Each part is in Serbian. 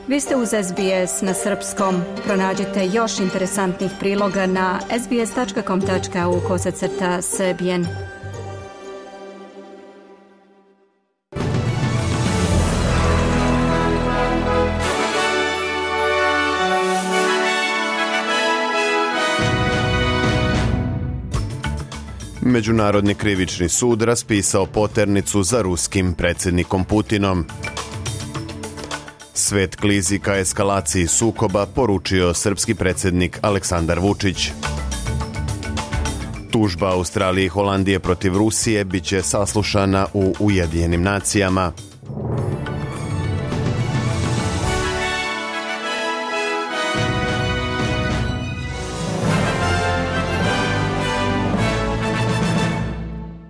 Vi ste uz SBS na srpskom. Pronađite još interesantnih priloga na sbs.com.au/srbijen. Međunarodni krivični sud raspisao poternicu za ruskim predsjednikom Putinom. Svet klizi ka eskalaciji sukoba, poručio srpski predsjednik Aleksandar Vučić. Tužba Australije i Holandije protiv Rusije biće saslušana u Ujedinjenim nacijama.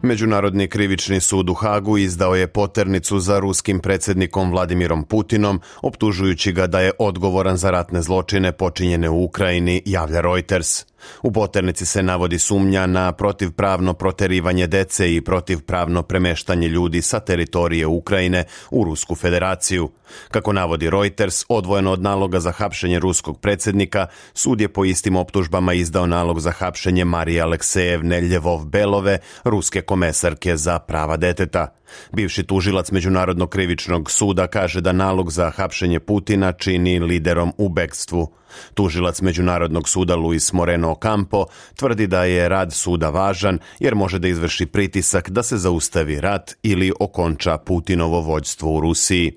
Međunarodni krivični sud u Hagu izdao je poternicu za ruskim predsjednikom Vladimirom Putinom, optužujući ga da je odgovoran za ratne zločine počinjene u Ukrajini, javlja Reuters. U poternici se navodi sumnja na protivpravno proterivanje dece i protivpravno premeštanje ljudi sa teritorije Ukrajine u Rusku federaciju. Kako navodi Reuters, odvojeno od naloga za hapšenje ruskog predsjednika, sud je po istim optužbama izdao nalog za hapšenje Marije Aleksejevne Ljevov-Belove, ruske komesarke za prava deteta. Bivši tužilac Međunarodnog krivičnog suda kaže da nalog za hapšenje Putina čini liderom u bekstvu. Tužilac Međunarodnog suda Luis Moreno Ocampo tvrdi da je rad suda važan jer može da izvrši pritisak da se zaustavi rat ili okonča Putinovo vođstvo u Rusiji.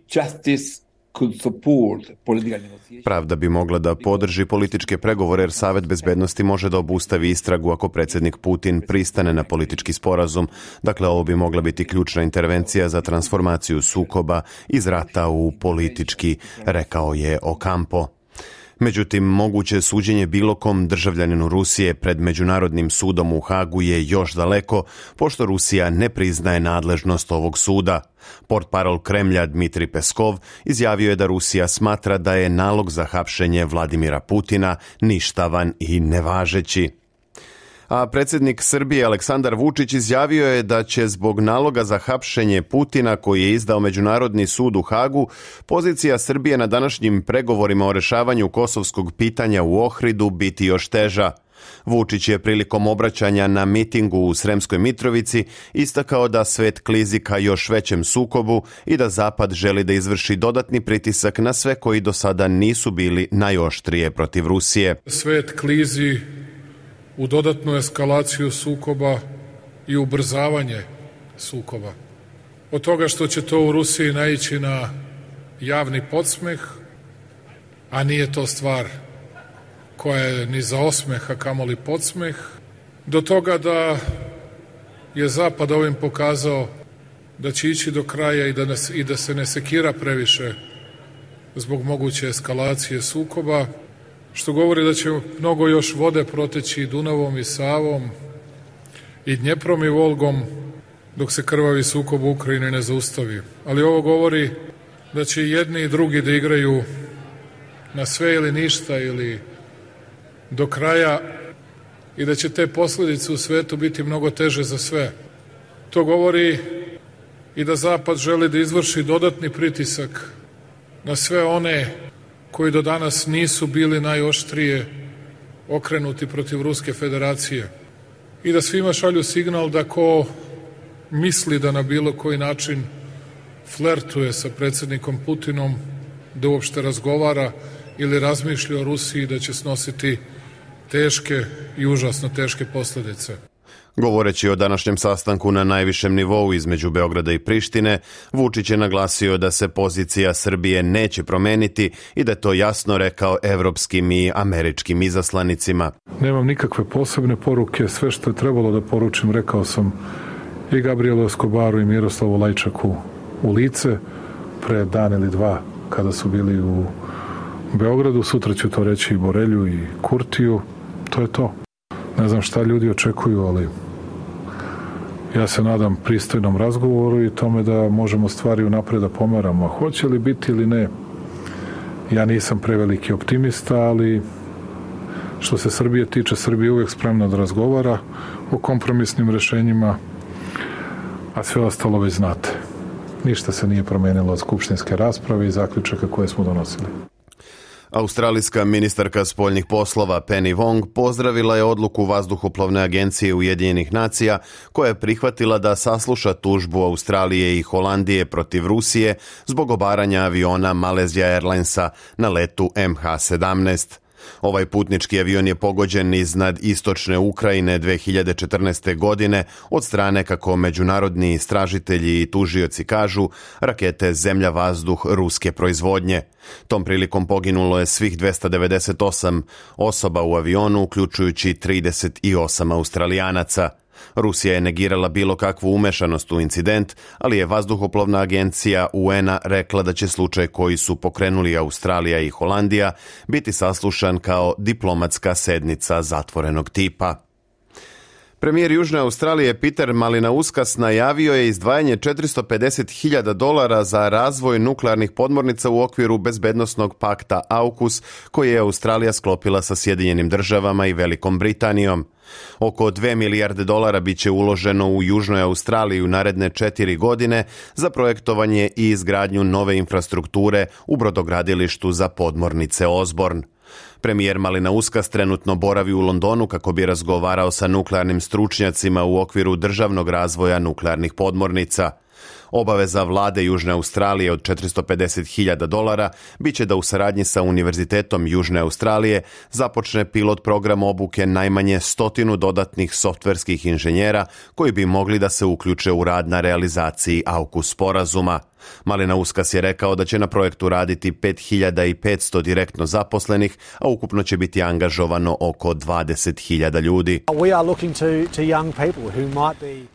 Pravda bi mogla da podrži političke pregovore jer Savet bezbednosti može da obustavi istragu ako predsjednik Putin pristane na politički sporazum. Dakle, ovo bi mogla biti ključna intervencija za transformaciju sukoba iz rata u politički, rekao je Ocampo. Međutim, moguće suđenje bilo kom državljaninu Rusije pred Međunarodnim sudom u Hagu je još daleko, pošto Rusija ne priznaje nadležnost ovog suda. Portparol Kremlja Dmitrij Peskov izjavio je da Rusija smatra da je nalog za hapšenje Vladimira Putina ništavan i nevažeći. A predsjednik Srbije Aleksandar Vučić izjavio je da će zbog naloga za hapšenje Putina koji je izdao Međunarodni sud u Hagu, pozicija Srbije na današnjim pregovorima o rešavanju kosovskog pitanja u Ohridu biti još teža. Vučić je prilikom obraćanja na mitingu u Sremskoj Mitrovici istakao da svet klizi ka još većem sukobu i da Zapad želi da izvrši dodatni pritisak na sve koji do sada nisu bili najoštrije protiv Rusije. Svet klizi u dodatnu eskalaciju sukoba i ubrzavanje sukoba. Od toga što će to u Rusiji naići na javni podsmeh, a nije to stvar koja je ni za osmeh, a kamoli podsmeh, do toga da je Zapad ovim pokazao da će ići do kraja i da se ne sekira previše zbog moguće eskalacije sukoba, što govori da će mnogo još vode proteći i Dunavom i Savom i Dnjeprom i Volgom dok se krvavi sukob u Ukrajini ne zaustavi. Ali ovo govori da će i jedni i drugi da igraju na sve ili ništa ili do kraja i da će te posljedice u svetu biti mnogo teže za sve. To govori i da Zapad želi da izvrši dodatni pritisak na sve one koji do danas nisu bili najoštrije okrenuti protiv Ruske federacije i da svima šalju signal da ko misli da na bilo koji način flertuje sa predsjednikom Putinom, da uopšte razgovara ili razmišlja o Rusiji, da će snositi teške i užasno teške posljedice. Govoreći o današnjem sastanku na najvišem nivou između Beograda i Prištine, Vučić je naglasio da se pozicija Srbije neće promeniti i da je to jasno rekao evropskim i američkim izaslanicima. Nemam nikakve posebne poruke, sve što je trebalo da poručim rekao sam i Gabrielu Escobaru i Miroslavu Lajčaku u lice pre dan ili dva kada su bili u Beogradu. Sutra ću to reći i Borelju i Kurtiju. To je to. Ne znam šta ljudi očekuju, ali ja se nadam pristojnom razgovoru i tome da možemo stvari unapred da pomeramo. Hoće li biti ili ne, ja nisam preveliki optimista, ali što se Srbije tiče, Srbija je uvek spremna da razgovara o kompromisnim rešenjima, a sve ostalo već znate. Ništa se nije promenilo od skupštinske rasprave i zaključaka koje smo donosili. Australijska ministarka spoljnih poslova Penny Wong pozdravila je odluku Vazduhoplovne agencije Ujedinjenih nacija koja je prihvatila da sasluša tužbu Australije i Holandije protiv Rusije zbog obaranja aviona Malaysia Airlinesa na letu MH17. Ovaj putnički avion je pogođen iznad istočne Ukrajine 2014. godine od strane, kako međunarodni istražitelji i tužioci kažu, rakete zemlja-vazduh ruske proizvodnje. Tom prilikom poginulo je svih 298 osoba u avionu, uključujući 38 Australijanaca. Rusija je negirala bilo kakvu umešanost u incident, ali je Vazduhoplovna agencija UN-a rekla da će slučaj koji su pokrenuli Australija i Holandija biti saslušan kao diplomatska sednica zatvorenog tipa. Premijer Južne Australije Peter Malinauskas najavio je izdvajanje $450.000 za razvoj nuklearnih podmornica u okviru bezbednosnog pakta AUKUS koji je Australija sklopila sa Sjedinjenim državama i Velikom Britanijom. Oko $2 milijarde bit će uloženo u Južnoj Australiji u naredne 4 godine za projektovanje i izgradnju nove infrastrukture u brodogradilištu za podmornice Osborne. Premijer Malinauskas trenutno boravi u Londonu kako bi razgovarao sa nuklearnim stručnjacima u okviru državnog razvoja nuklearnih podmornica. Obaveza vlade Južne Australije od $450.000 bit će da u saradnji sa Univerzitetom Južne Australije započne pilot program obuke najmanje 100 dodatnih softverskih inženjera koji bi mogli da se uključe u rad na realizaciji AUKUS sporazuma. Malinauskas je rekao da će na projektu raditi 5.500 direktno zaposlenih, a ukupno će biti angažovano oko 20.000 ljudi.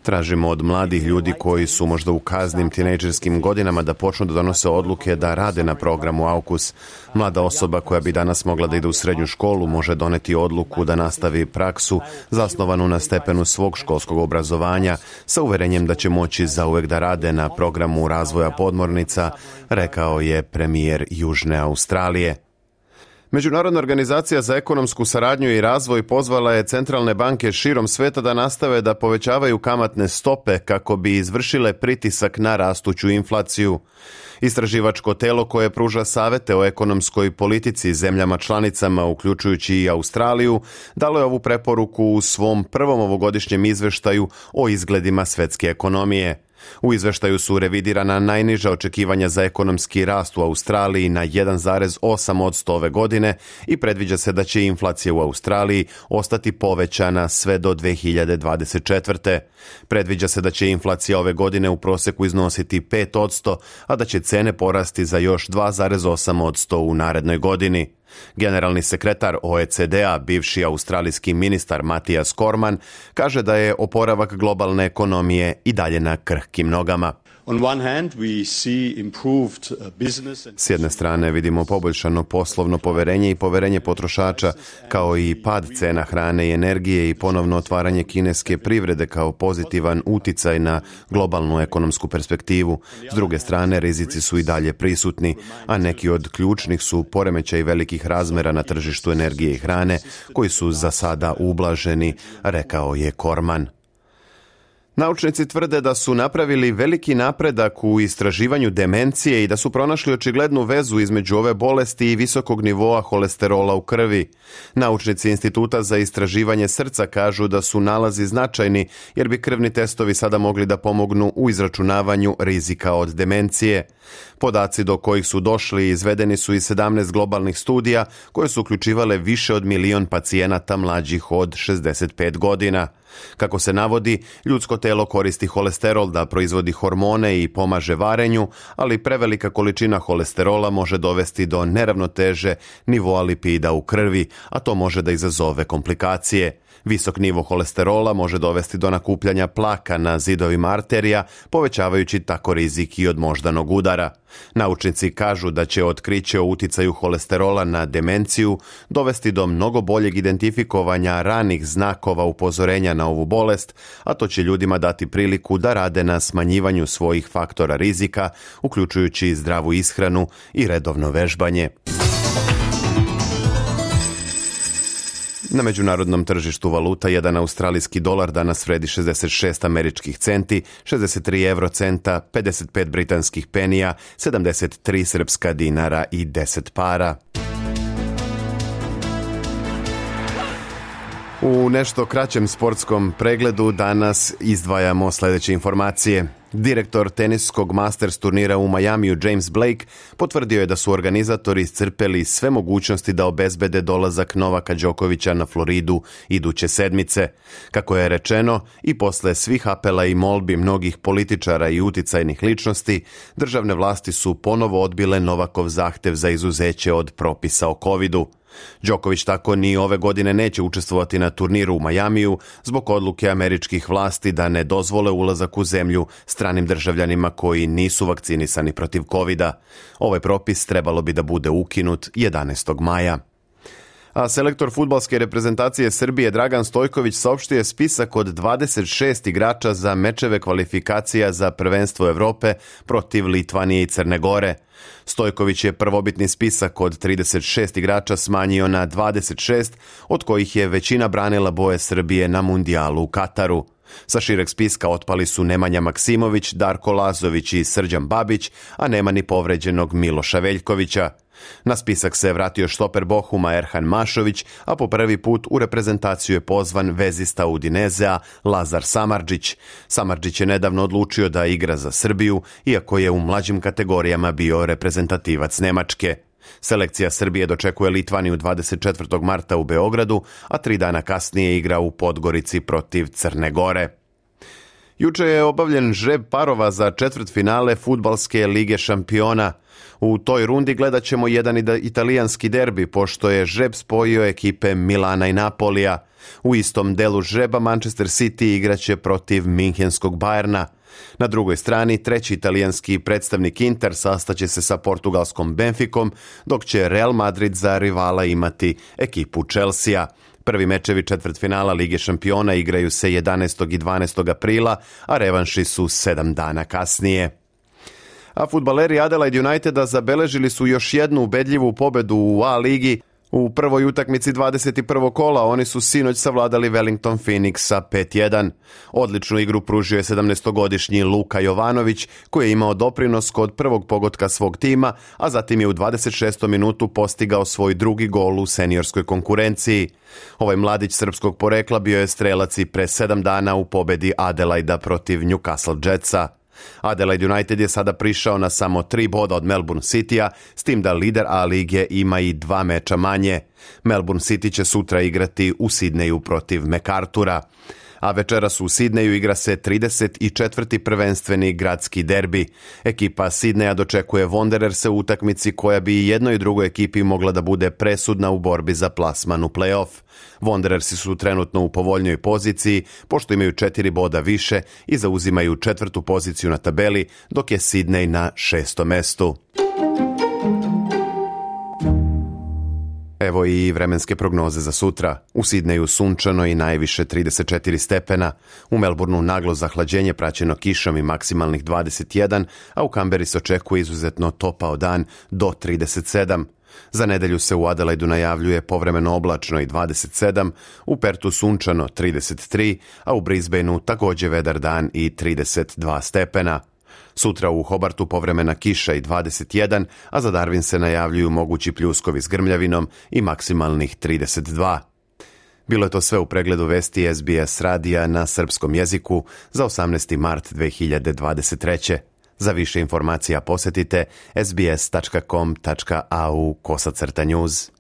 Tražimo od mladih ljudi koji su možda u kaznim tinejdžerskim godinama da počnu da donose odluke da rade na programu AUKUS. Mlada osoba koja bi danas mogla da ide u srednju školu može doneti odluku da nastavi praksu zasnovanu na stepenu svog školskog obrazovanja sa uverenjem da će moći zauvek da rade na programu razvoja podmornica, rekao je premijer Južne Australije. Međunarodna organizacija za ekonomsku saradnju i razvoj pozvala je centralne banke širom sveta da nastave da povećavaju kamatne stope kako bi izvršile pritisak na rastuću inflaciju. Istraživačko telo koje pruža savete o ekonomskoj politici zemljama članicama, uključujući i Australiju, dalo je ovu preporuku u svom prvom ovogodišnjem izveštaju o izgledima svetske ekonomije. U izveštaju su revidirana najniža očekivanja za ekonomski rast u Australiji na 1,8% ove godine i predviđa se da će inflacija u Australiji ostati povećana sve do 2024. Predviđa se da će inflacija ove godine u proseku iznositi 5%, a da će cene porasti za još 2,8% u narednoj godini. Generalni sekretar OECD-a, bivši australijski ministar Matijas Cormann, kaže da je oporavak globalne ekonomije i dalje na krhkim nogama. S jedne strane vidimo poboljšano poslovno poverenje i poverenje potrošača, kao i pad cena hrane i energije i ponovno otvaranje kineske privrede kao pozitivan uticaj na globalnu ekonomsku perspektivu. S druge strane, rizici su i dalje prisutni, a neki od ključnih su poremećaj velikih razmera na tržištu energije i hrane, koji su za sada ublaženi, rekao je Cormann. Naučnici tvrde da su napravili veliki napredak u istraživanju demencije i da su pronašli očiglednu vezu između ove bolesti i visokog nivoa holesterola u krvi. Naučnici Instituta za istraživanje srca kažu da su nalazi značajni jer bi krvni testovi sada mogli da pomognu u izračunavanju rizika od demencije. Podaci do kojih su došli izvedeni su iz 17 globalnih studija koje su uključivale više od 1 milion pacijenata mlađih od 65 godina. Kako se navodi, ljudsko telo koristi holesterol da proizvodi hormone i pomaže varenju, ali prevelika količina holesterola može dovesti do neravnoteže nivoa lipida u krvi, a to može da izazove komplikacije. Visok nivo holesterola može dovesti do nakupljanja plaka na zidovima arterija, povećavajući tako rizik i od moždanog udara. Naučnici kažu da će otkriće o uticaju holesterola na demenciju dovesti do mnogo boljeg identifikovanja ranih znakova upozorenja na ovu bolest, a to će ljudima dati priliku da rade na smanjivanju svojih faktora rizika, uključujući zdravu ishranu i redovno vežbanje. Na međunarodnom tržištu valuta jedan australijski dolar danas vredi 66 američkih centi, 63 eurocenta, 55 britanskih penija, 73 srpska dinara i 10 para. U nešto kraćem sportskom pregledu danas izdvajamo sljedeće informacije. Direktor teniskog Masters turnira u Majamiju James Blake potvrdio je da su organizatori iscrpeli sve mogućnosti da obezbede dolazak Novaka Đokovića na Floridu iduće sedmice. Kako je rečeno, i posle svih apela i molbi mnogih političara i uticajnih ličnosti, državne vlasti su ponovo odbile Novakov zahtev za izuzeće od propisa o covidu. Đoković tako ni ove godine neće učestvovati na turniru u Majamiju zbog odluke američkih vlasti da ne dozvole ulazak u zemlju stranim državljanima koji nisu vakcinisani protiv covida. Ovaj propis trebalo bi da bude ukinut 11. maja. A selektor fudbalske reprezentacije Srbije Dragan Stojković saopštio je spisak od 26 igrača za mečeve kvalifikacija za prvenstvo Evrope protiv Litvanije i Crne Gore. Stojković je prvobitni spisak od 36 igrača smanjio na 26, od kojih je većina branila boje Srbije na mundijalu u Kataru. Sa šireg spiska otpali su Nemanja Maksimović, Darko Lazović i Srđan Babić, a nema ni povređenog Miloša Veljkovića. Na spisak se vratio štoper Bohuma Erhan Mašović, a po prvi put u reprezentaciju je pozvan vezista Udinezea Lazar Samardžić. Samardžić je nedavno odlučio da igra za Srbiju, iako je u mlađim kategorijama bio reprezentativac Nemačke. Selekcija Srbije dočekuje Litvaniju 24. marta u Beogradu, a 3 dana kasnije igra u Podgorici protiv Crne Gore. Juče je obavljen žreb parova za četvrtfinale Fudbalske lige šampiona. U toj rundi gledat ćemo jedan italijanski derbi, pošto je žreb spojio ekipe Milana i Napolija. U istom delu žreba Manchester City igraće protiv Minhenskog Bayerna. Na drugoj strani, treći italijanski predstavnik Inter sastaće se sa portugalskom Benficom, dok će Real Madrid za rivala imati ekipu Chelsea. Prvi mečevi četvrtfinala Lige šampiona igraju se 11. i 12. aprila, a revanši su 7 dana kasnije. A fudbaleri Adelaide Uniteda zabeležili su još jednu ubedljivu pobedu u A ligi. U prvoj utakmici 21. kola oni su sinoć savladali Wellington Phoenix sa 5-1. Odličnu igru pružio je 17-godišnji Luka Jovanović, koji je imao doprinos kod prvog pogotka svog tima, a zatim je u 26. minutu postigao svoj drugi gol u seniorskoj konkurenciji. Ovaj mladić srpskog porekla bio je strelac i pre 7 dana u pobedi Adelaida protiv Newcastle Jetsa. Adelaide United je sada prišao na samo 3 boda od Melbourne Citya, s tim da lider A lige ima i 2 meča manje. Melbourne City će sutra igrati u Sidneju protiv MacArthura. A večeras u Sidneju igra se 34. prvenstveni gradski derbi. Ekipa Sidneja dočekuje Wandererse u utakmici koja bi i jednoj i drugoj ekipi mogla da bude presudna u borbi za plasman u play-off. Wanderersi su trenutno u povoljnoj poziciji, pošto imaju 4 boda više i zauzimaju 4. poziciju na tabeli, dok je Sidney na 6. mestu. Evo i vremenske prognoze za sutra. U Sidneju sunčano i najviše 34 stepena. U Melbourneu naglo zahlađenje praćeno kišom i maksimalnih 21, a u Kamberi se očekuje izuzetno topao dan do 37. Za nedelju se u Adelaidu najavljuje povremeno oblačno i 27, u Pertu sunčano 33, a u Brisbaneu također vedar dan i 32 stepena. Sutra u Hobartu povremena kiša i 21, a za Darwin se najavljuju mogući pljuskovi s grmljavinom i maksimalnih 32. Bilo je to sve u pregledu vesti SBS radija na srpskom jeziku za 18. mart 2023. Za više informacija posjetite sbs.com.au/news.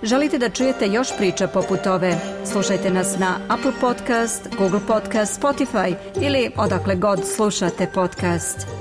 Želite da čujete još priča poput ove? Slušajte nas na Apple Podcast, Google Podcast, Spotify ili odakle god slušate podcast.